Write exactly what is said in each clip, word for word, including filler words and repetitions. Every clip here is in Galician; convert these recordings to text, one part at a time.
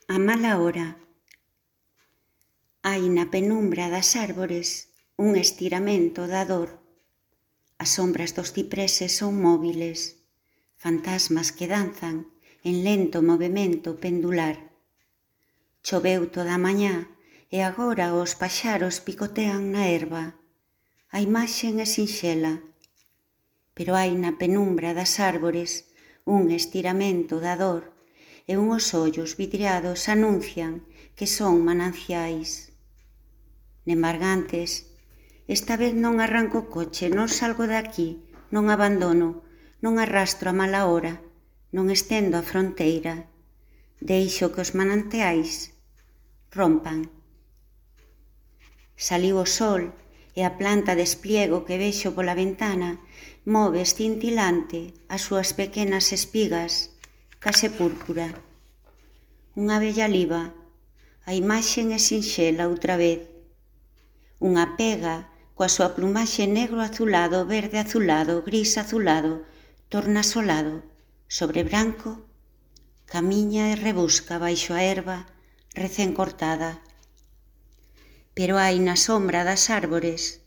A mala hora. Hai na penumbra das árbores un estiramento da dor. As sombras dos cipreses son móviles, fantasmas que danzan en lento movemento pendular. Choveu toda a mañá e agora os paxaros picotean na herba. A imaxe é sinxela, pero hai na penumbra das árbores un estiramento da dor e unhos ollos vidriados anuncian que son mananciais. Nembargantes, esta vez non arranco o coche, non salgo de aquí, non abandono, non arrastro a mala hora, non estendo a fronteira. Deixo que os manantiais rompan. Saliu o sol e a planta de espliego que vexo pola ventana move escintilante as súas pequenas espigas, case púrpura. Unha bella liba, a imaxe é sinxela outra vez. Unha pega coa súa plumaxe negro azulado, verde azulado, gris azulado, tornasolado, sobre branco, camiña e rebusca baixo a herba recén cortada. Pero hai na sombra das árbores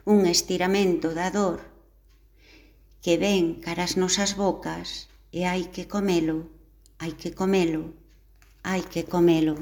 un estiramento da dor que ven cara as nosas bocas e hai que comelo, hai que comelo, hai que comelo.